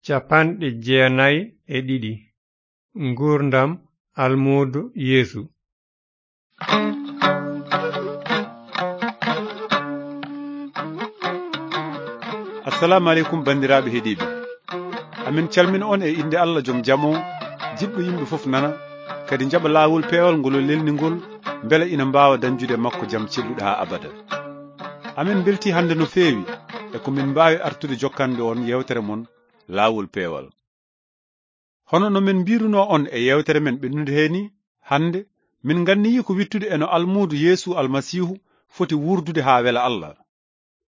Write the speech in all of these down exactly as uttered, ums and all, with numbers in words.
Capanɗe jeenayi e ɗiɗi. Nguurndam almuudo Yeesu. Assalamu aleykum, banndiraaɓe heɗiiɓe. Amin calmina on e innde Allah, jom jam o, jiɗɗo yimɓe fof nana, kadi njaɓa laawol peewal ngol o lelni ngol, mbele ina mbaawa dañjude e makko jam celluɗo haa abada. Amin mbeltii hannde no feewi e ko min mbaawi artude jokkande on yeewtere mon, Laawol Peewal. Hono no min mbiirunoo on e yeewtere men ɓennunde hee nii, hannde min nganniyii ko wittude e no almuudo Yeesu Almasiihu foti wuurdude haa wela Allah.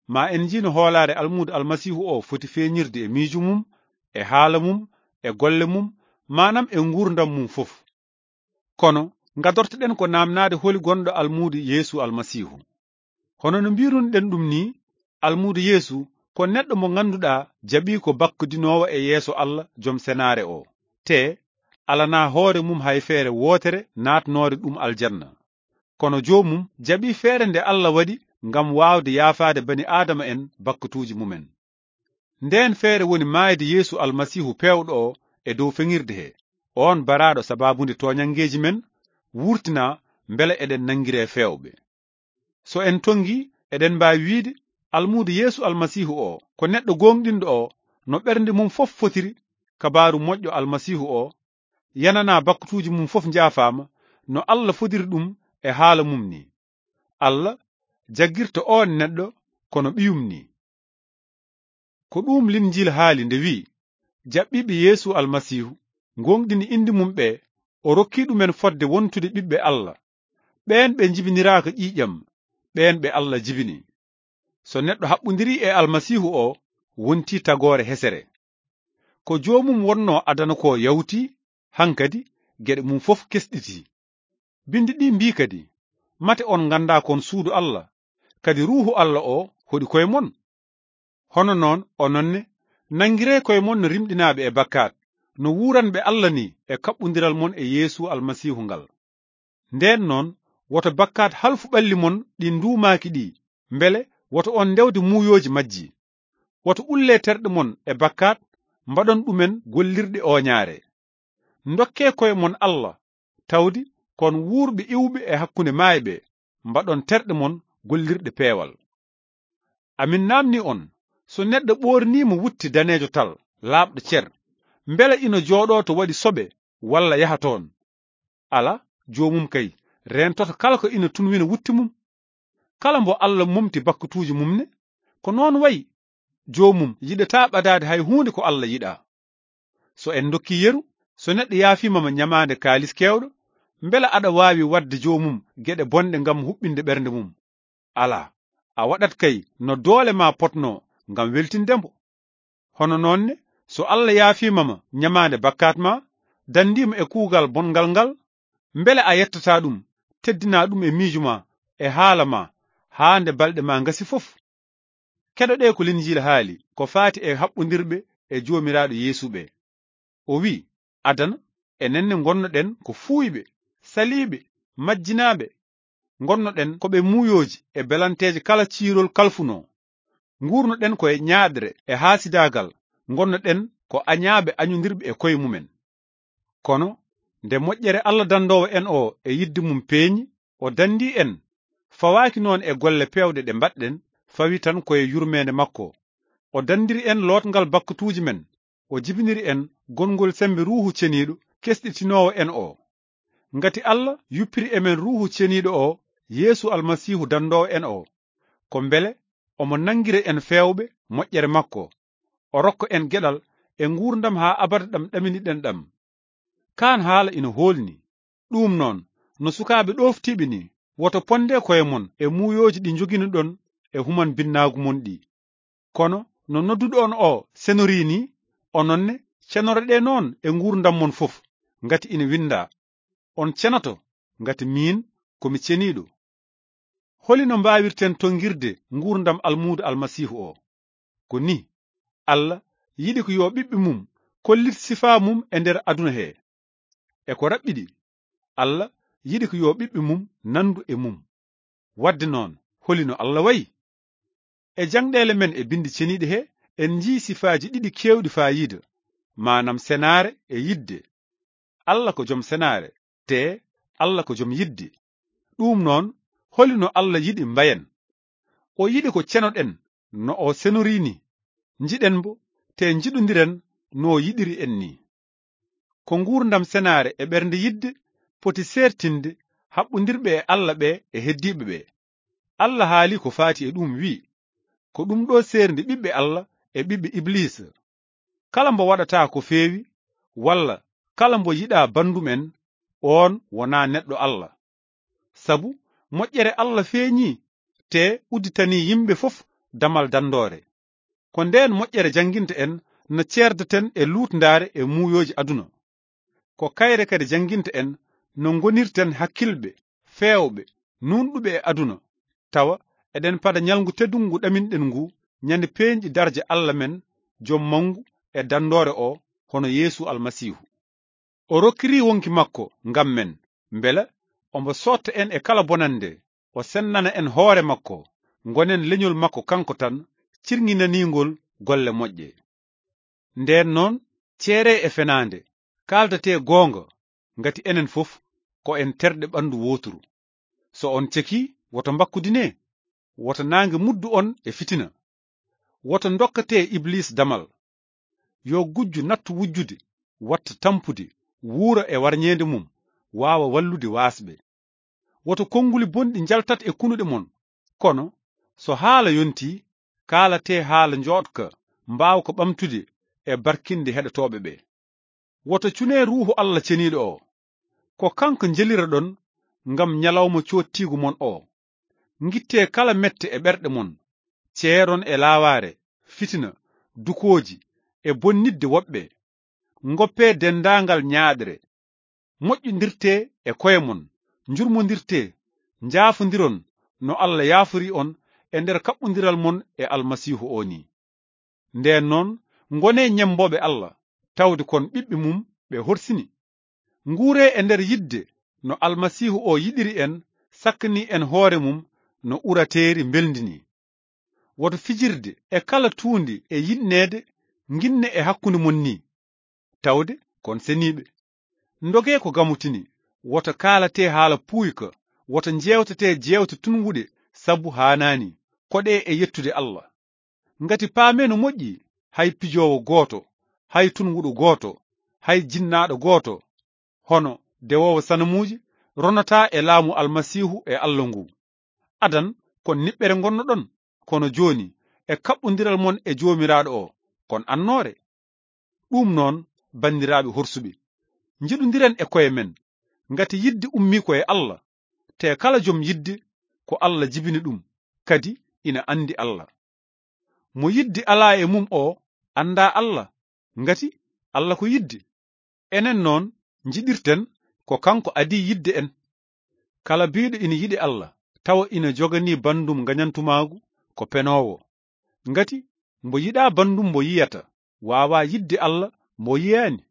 Ma en njii no hoolaare almuudo Almasiihu o foti feeñirde e miijo mum, e haala mum, e golle mum, maanam e nguurndam mum fof. Kono, ngadortoɗen ko naamnaade holi gonɗo almuudo Yeesu Almasiihu. Hono no mbiirunɗen ɗum nii, almuudo Yeesu ko neɗɗo mo ngannduɗaa jaɓii ko bakkudinoowo e yeeso Allah, jom senaare o, te alanaa hoore mum hay feere wootere naatnoore ɗum aljanna. Kono joomum jaɓii feere nde Allah waɗi ngam waawde yaafaade bani Aadama en bakkutuuji mumen. Ndeen feere woni maayde Yeesu Almasiihu peewɗo o e dow feŋirde he, oon baraaɗo sabaabu nde tooñanngeeji men, wuurtinaa mbele eɗen nanngiree feewɓe. So en tonngii, eɗen mbaawi wiyde almuudo Yeesu Almasiihu o ko neɗɗo gooŋɗinɗo o no ɓernde mum fof fotiri, kabaaru moƴƴo Almasiihu o, yananaa bakkutuuji mum fof njaafaama, no Allah fodiri ɗum e haala mum nii. Allah jaggirta oon neɗɗo kono ɓiyum nii. Ko ɗuum Linjiil haali nde wi'i, jaɓɓiiɓe Yeesu Almasiihu, ngooŋɗini innde mum ɓe, o rokki ɗumen fotde wontude ɓiɓɓe Allah. Ɓeen ɓe njibiniraaka ƴiiƴam, ɓeen ɓe Allah jibini. So neɗɗo haɓɓondirii e Almasiihu o, wontii tagoore hesere. Ko joomum wonnoo adana ko yawti, hankadi geɗe mum fof kesɗiti. Binndi ɗi mbii kadi, mate on nganndaa kon suudu Allah, kadi Ruuhu Allah o hoɗi koye mon. Hono noon, onon ne, nanngiree koye mon no rimɗinaaɓe e bakkaat, no wuuranɓe Allah nii e kaɓɓondiral mon e Yeesu Almasiihu ngal. Ndeen noon, woto bakkaat halfu ɓalli mon ɗi nduumaaki ɗi, mbele woto on ndewde muuyooji majji. Woto ullee terɗe mon e bakkaat, mbaɗon ɗumen gollirɗe ooñaare. Ndokkee koye mon Allah, tawde kon wuurɓe iwɓe e hakkunde maayɓe, mbaɗon terɗe mon gollirɗe peewal. Amin naamni on, so neɗɗo ɓoorniima wutte daneejo tal, laaɓɗo cer, mbele ina jooɗoo to waɗi soɓe walla yaha toon? Alaa, joomum kay reentoto kala ko ina tunwina wutte mum. Kala mbo Allah momti bakkutuuji mum ne, ko noon wayi, joomum yiɗataa ɓadaade hay huunde ko Allah yiɗaa. So en ndokkii yeru, so neɗɗo yaafiima ma ñamaande kaalis keewɗo, mbela aɗa waawi waɗde joomum geɗe bonɗe ngam huɓɓinde ɓernde mum? Alaa, a waɗat kay no doole ma potnoo ngam weltinde mbo. Hono noon ne, so Allah yaafiima ma ñamaande bakkaat ma, danndii ma e kuugal bonngal ngal, mbele a yettataa ɗum, teddinaa ɗum e miijo ma, e haala ma, haa nde balɗe ma ngasi fof? Keɗoɗee ko Linjiila haali ko faati e haɓɓondirɓe e Joomiraaɗo Yeesu ɓe. O wi'i, adana, enen ne ngonnoɗen ko fuuyɓe, saliiɓe, majjinaaɓe. Ngonnoɗen ko ɓe muuyooji e belanteeje kala ciirol kalfunoo. Nguurnoɗen ko e ñaaɗre e haasidaagal, ngonnoɗen ko añaaɓe añondirɓe e koye mumen. Kono nde moƴƴere Allah danndoowo en o e yiɗde mum peeñi, o danndii en, fawaaki noon e golle peewɗe ɗe mbaɗɗen, fawi tan ko e yurmeende makko. O danndiri en lootngal bakkutuuji men, o jibiniri en gongol semmbe Ruuhu Ceniiɗo kesɗitinoowo en o. Ngati Allah yuppiri e men Ruuhu Ceniiɗo o, Yeesu Almasiihu danndoowo en o, ko mbele omo nanngira en feewɓe moƴƴere makko, o rokka en geɗal e nguurndam haa abada ɗam ɗaminiɗen ɗam. Kaan haala ina hoolni. Ɗuum noon, no sukaaɓe ɗooftiiɓe nii, woto ponde koye mon e muuyooji ɗi njoginoɗon e human binnaagu mon ɗi. Kono no nodduɗo on o senorii nii, onon ne, cenoreɗee noon e nguurndam mon fof, ngati ina winndaa, on cenoto, ngati miin ko mi ceniiɗo. Holi no mbaawirten tonngirde nguurndam almuudo Almasiihu o? Ko nii, Allah yiɗi ko yo ɓiɓɓe mum kollit sifaa mum e nder aduna he. E ko raɓɓiɗi, Allah yiɗi ko yo ɓiɓɓe mum nanndu e mum. Waɗde noon, holi no Allah wayi? E jaŋɗeele men e Binndi Ceniiɗi he, en njii sifaaji ɗiɗi keewɗi faayiida, maanam senaare e yidde. Alla ko jom senaare, te Alla ko jom yidde. Ɗum noon, holi no Alla yiɗi mbayen? O yiɗi ko cenoɗen no o senorii ni, njiɗen mbo, te njiɗondiren no o yiɗiri en ni. Ko nguurndam senaare e ɓernde yidde poti seertinde haɓɓondirɓe e Alla ɓe e heddiiɓe ɓe. Alla haali ko faati e ɗum, wi'i, ko ɗum ɗo seerndi ɓiɓɓe Alla e ɓiɓɓe Ibliisa. Kala mbo waɗata ko feewi, walla kala mbo yiɗa banndum en, oon wonaa neɗɗo Alla. Sabu moƴƴere Alla feeñii, te udditanii yimɓe fof damal danndoore. Ko ndeen moƴƴere jannginta en no ceerdaten e luutndaare e muuyooji aduna. Ko kayre kadi jannginta en no ngonirten hakkilɓe, feewɓe, nuunɗuɓe e aduna, tawa eɗen pada ñalngu teddungu ɗaminɗen ngu, ñande peeñɗi darja Alla men, jom manngu e danndoore o, hono Yeesu Almasiihu. O rokkiri wonki makko ngam men, mbela ombo sootta en e kala bonannde, o sennana en hoore makko, ngonen leñol makko kanko tan, cirŋinaniingol golle moƴƴe. Ndeen noon, ceeree e fenaande, kaaldatee goonga, ngati enen fof ko en terɗe ɓanndu wooturu. So on cekii, woto mbakkudinee, woto naange muddu on e fitina. Woto ndokkatee Ibliis damal. Yo gujjo nattu wujjude, watta tampude, wuura e warñeende mum, waawa wallude waasɓe. Woto konnguli bonɗi njaltat e kunuɗe mon, kono so haala yontii, kaalatee haala njooɗka, mbaawka ɓamtude e barkinde heɗotooɓe ɓe. Woto cunee Ruuhu Alla Ceniiɗo o. Ko kanko njeliraɗon ngam ñalawma coottiigu mon o. Ngittee kala mette e ɓerɗe mon, ceeron e laawaare, fitina, dukooji, e bonnitde woɓɓe. Ngoppee denndaangal ñaaɗre. Moƴƴondirtee e koye mon, njurmondirtee, njaafondiron no Alla yaafori on e nder kaɓɓondiral mon e Almasiihu o ni. Ndeen noon, ngonee ñemmbooɓe Alla, tawde kon ɓiɓɓe mum ɓe horsini. Nguuree e nder yidde no Almasiihu o yiɗiri en, sakkani en hoore mum no urateeri mbelndi ni. Woto fijirde e kala tuundi e yiɗneede nginne e hakkunde mon ni, tawde kon seniiɓe. Ndogee ko gamutini, woto kaalatee haala puuyka, woto njeewtetee jeewte tunwuɗe sabu haanaani, koɗee e yettude Alla. Ngati paamee no moƴƴi, hay pijoowo gooto, hay tunwuɗo gooto, hay jinnaaɗo gooto, hono dewoowo sanamuuji, ronataa e laamu Almasiihu e Alla ngu. Adan kon niɓɓere ngonnoɗon, kono jooni e kaɓɓondiral mon e Joomiraaɗo o, kon annoore. Ɗum noon, banndiraaɓe horsuɓe, njiɗondiren e koye men, ngati yidde ummii ko e Alla, te kala jom yidde ko Alla jibini ɗum, kadi ina anndi Alla. Mo yidde alaa e mum o anndaa Alla, ngati Alla ko yidde. Enen noon, njiɗirten ko kanko adii yidde en. Kala biiɗo ina yiɗi Alla, tawa ina joganii banndum ngañantumaagu ko penoowo. Ngati mbo yiɗaa banndum mbo yiyata, waawaa yiɗde Alla mbo yiyaani.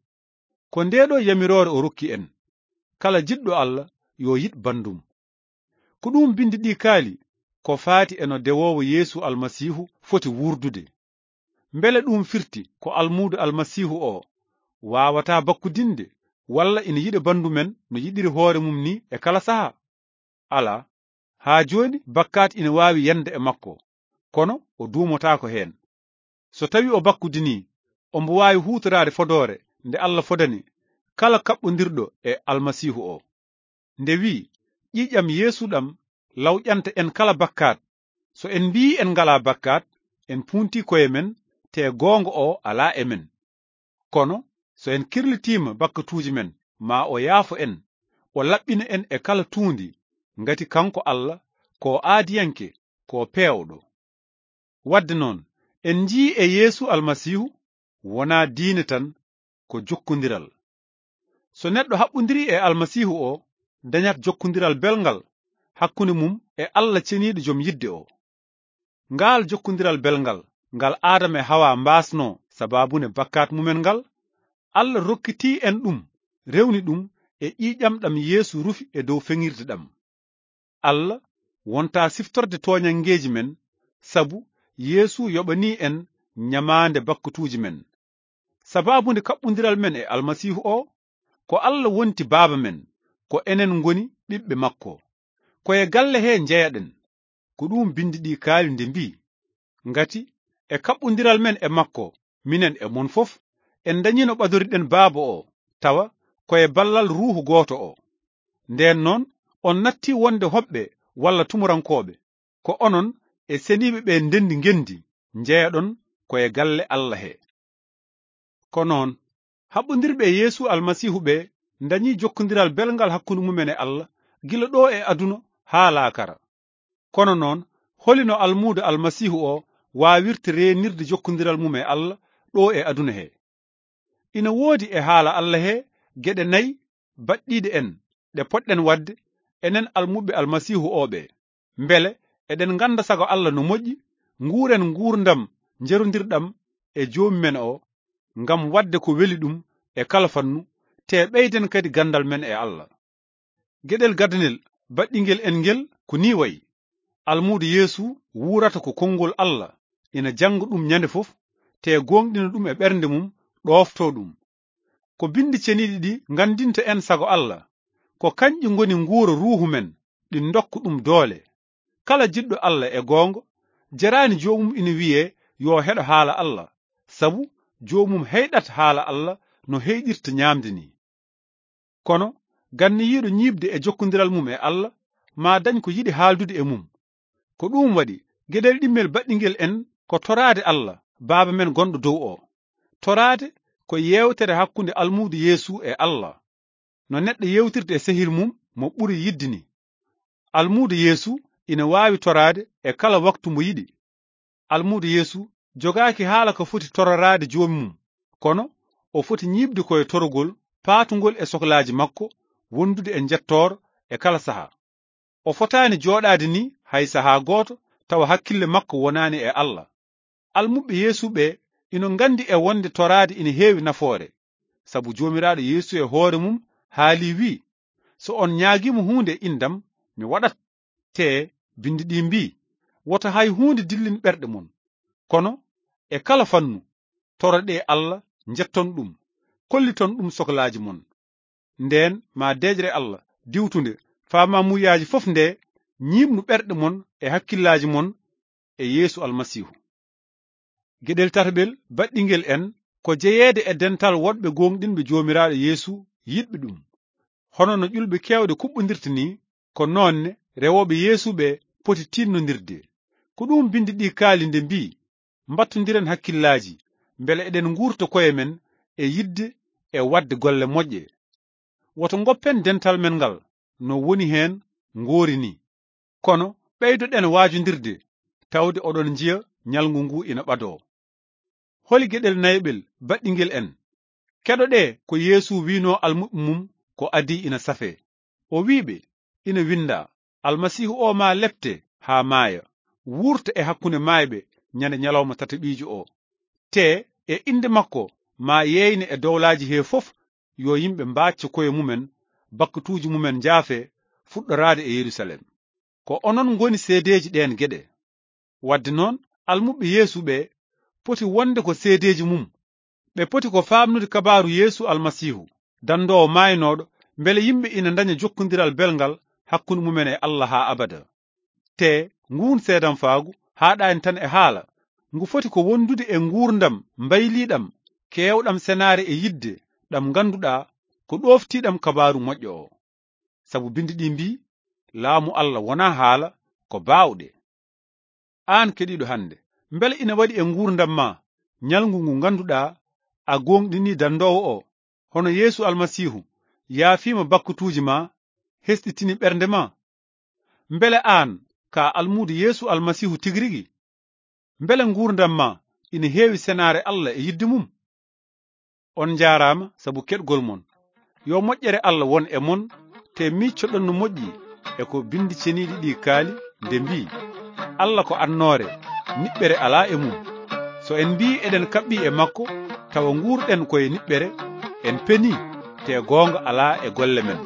Ko ndee ɗoo yamiroore o rokki en, kala jiɗɗo Alla yo yiɗ banndum. Ko ɗum binndi ɗi kaali, ko faati e no dewoowo Yeesu Almasiihu foti wuurdude. Mbele ɗum firti ko almuudo Almasiihu o waawataa bakkudinde, walla ina yiɗa banndu men no yiɗiri hoore mum ni e kala sahaa? Alaa, haa jooni bakkaat ina waawi yande e makko, kono o duumotaako heen. So tawi o bakkudinii, ombo waawi huutoraade fodoore nde Alla fodani kala kaɓɓondirɗo e Almasiihu o. Nde wi'i, ƴiiƴam Yeesu ɗam lawƴanta en kala bakkaat. So en mbi'ii en ngalaa bakkaat, en puuntii koye men, te goonga o alaa e men. Kono so en kirlitiima bakkatuuji men, ma o yaafo en, o laɓɓina en e kala tuundi, ngati kanko Alla ko aadiyanke, ko peewɗo. Wadde noon, en njii e Yeesu Almasiihu wonaa diine tan, ko jokkondiral. So neɗɗo haɓɓondirii e Almasiihu o, dañat jokkondiral belngal hakkunde mum e Alla ceniiɗo jom yidde o. Ngaal jokkondiral belngal, ngal Aadama e Hawa mbaasnoo sababune bakkaat mumen ngal, Alla rokkitii en ɗum, rewni ɗum e ƴiiƴam ɗam Yeesu rufi e dow feŋirde ɗam. Alla wontaa siftorde tooñanngeeji men, sabu Yeesu yoɓanii en ñamaande bakkatuuji men. Sabaabu nde kaɓɓundiral men e Almasiihu o, ko Alla wonti Baaba men, ko enen ngoni ɓiɓɓe makko. Ko e galle he njeyaɗen. Ko ɗum Binndi ɗi kaali nde mbii, ngati e kaɓɓundiral men e makko, minen e mon fof, en ndañiino ɓadoriɗen Baaba o, tawa ko e ballal Ruuhu gooto o. Ndeen noon, on natti wonde hoɓɓe walla tumurankooɓe. Ko onon e seniiɓe ɓe ndenndi ngenndi, njeyaɗon ko e galle Alla he. Ko noon, haɓɓondirɓe e Yeesu Almasiihu ɓe ndañi jokkondiral belngal hakkunde mumen e Alla, gila ɗo e aduna haa laakara. Kono noon, holi no almuudo Almasiihu o waawirta reenirde jokkondiral mum e Alla ɗo e aduna he? Ina woodi e haala Alla he geɗe nayi baɗɗiiɗe en ɗe potɗen waɗde, enen almuɓɓe Almasiihu o ɓe. Mbele eɗen ngannda sago Alla no moƴƴi, nguuren nguurndam njerondirɗam e Joomi men o, ngam waɗde ko weli ɗum e kala fannu, te ɓeyden kadi ganndal men e Alla. Geɗel gadanel baɗɗingel en ngel ko nii wayi. Almuudo Yeesu wuurata ko konngol Alla, ina jannga ɗum ñande fof, te gooŋɗina ɗum e ɓernde mum, ɗoofto ɗum. Ko Binndi Ceniiɗi ɗi nganndinta en sago Alla, ko kañƴi ngoni nguura ruuhu men, ɗi ndokka ɗum doole. Kala jiɗɗo Alla e goonga, jeraani joomum ina wiyee yo heɗo haala Alla, sabu joomum heyɗat haala Alla no heyɗirta ñaamde ni. Kono ganniyiiɗo ñiiɓde e jokkondiral mum e Alla, ma dañ ko yiɗi haaldude e mum. Ko ɗum waɗi, geɗel ɗimmel baɗɗingel en ko toraade Alla, Baaba men gonɗo dow o. Toraade ko yeewtere hakkunde almuudo Yeesu e Alla, no neɗɗo yeewtirta e sehil mum mo ɓuri yiɗde ni. Almuudo Yeesu ina waawi toraade e kala waktu mo yiɗi. Almuudo Yeesu jogaaki haala ko foti tororaade Joomi mum, kono o foti ñiiɓde ko e torogol paatungol e soklaaji makko, wondude e njettoor e kala sahaa. O fotaani jooɗaade ni hay sahaa gooto tawa hakkille makko wonaani e Alla. Almuɓɓe Yeesu ɓe ina nganndi e wonde toraade ina heewi nafoore, sabu Joomiraaɗo Yeesu e hoore mum haalii wii, so on ñaagiima huunde e inndam, mi waɗat. Te Binndi ɗi mbii, woto hay huunde dillin ɓerɗe mon, kono e kala fannu, toroɗee Alla, njetton ɗum, kolliton ɗum soklaaji mon. Ndeen ma deeƴre Alla diwtunde faamaamuyaaji fof nde ñiiɓnu ɓerɗe mon e hakkillaaji mon e Yeesu Almasiihu. Geɗel tataɓel baɗɗingel en ko jeyeede e dental woɗɓe gooŋɗinɓe Joomiraaɗo Yeesu yiɗɓe ɗum. Hono no ƴulɓe keewɗe kuɓɓondirta ni, ko noon ne rewooɓe Yeesu ɓe poti tiinnondirde. Ko ɗum Binndi ɗi kaali nde mbii, mbattondiren hakkillaaji, mbele eɗen nguurta koye men e yiɗde e waɗde golle moƴƴe. Woto ngoppen dental men ngal no woni heen ngoori ni. Kono ɓeydoɗen waajondirde, tawde oɗon njiya ñalngu ngu ina ɓadoo. Holi geɗel nayaɓel baɗɗingel en? Keɗoɗee ko Yeesu wiinoo almuɓɓe mum ko adii ina safee. O wii ɓe, ina winndaa, Almasiihu o maa lepte haa maaya, wuurta e hakkunde maayɓe ñande ñalawma tataɓiijo o. Te e innde makko maa yeeyne e dowlaaji he fof, yo yimɓe mbaacco koye mumen, bakkatuuji mumen njaafe, fuɗɗoraade e Yerusalem. Ko onon ngoni seedeeji ɗeen geɗe. Wadde noon, almuɓɓe Yeesu ɓe poti wonde ko seedeeji mum. Ɓe poti ko faamnude kabaaru Yeesu Almasiihu, danndoowo maaynooɗo, mbele yimɓe ina ndaña jokkondiral belngal hakkunde mumen e Alla haa abada. Te nguun seedanfaagu haaɗaani tan e haala, ngu foti ko wondude e nguurndam mbayliiɗam, keewɗam senaare e yiɗde, ɗam ngannduɗaa ko ɗooftiiɗam kabaaru moƴƴo o. Sabu Binndi ɗi mbii, laamu Alla wonaa haala, ko baawɗe. Aan keɗiiɗo hannde, mbele ina waɗi e nguurndam ma ñalngu ngu ngannduɗaa a gooŋɗinii danndoowo o, hono Yeesu Almasiihu yaafiima bakkatuuji ma, hesɗitini ɓernde ma? Mbele aan ka almuudo Yeesu Almasiihu tigi rigi? Mbele nguurndam ma ina heewi senaare Alla e yiɗde mum? On njaaraama sabu keɗgol mon. Yo moƴƴere Alla won e mon, te miiccoɗon no moƴƴi e ko Binndi Ceniiɗi ɗi kaali nde mbii, Alla ko annoore, niɓɓere alaa e mum. So en mbii eɗen kaɓɓi e makko, tawa nguurɗen ko e niɓɓere, en penii, te goonga alaa e golle men.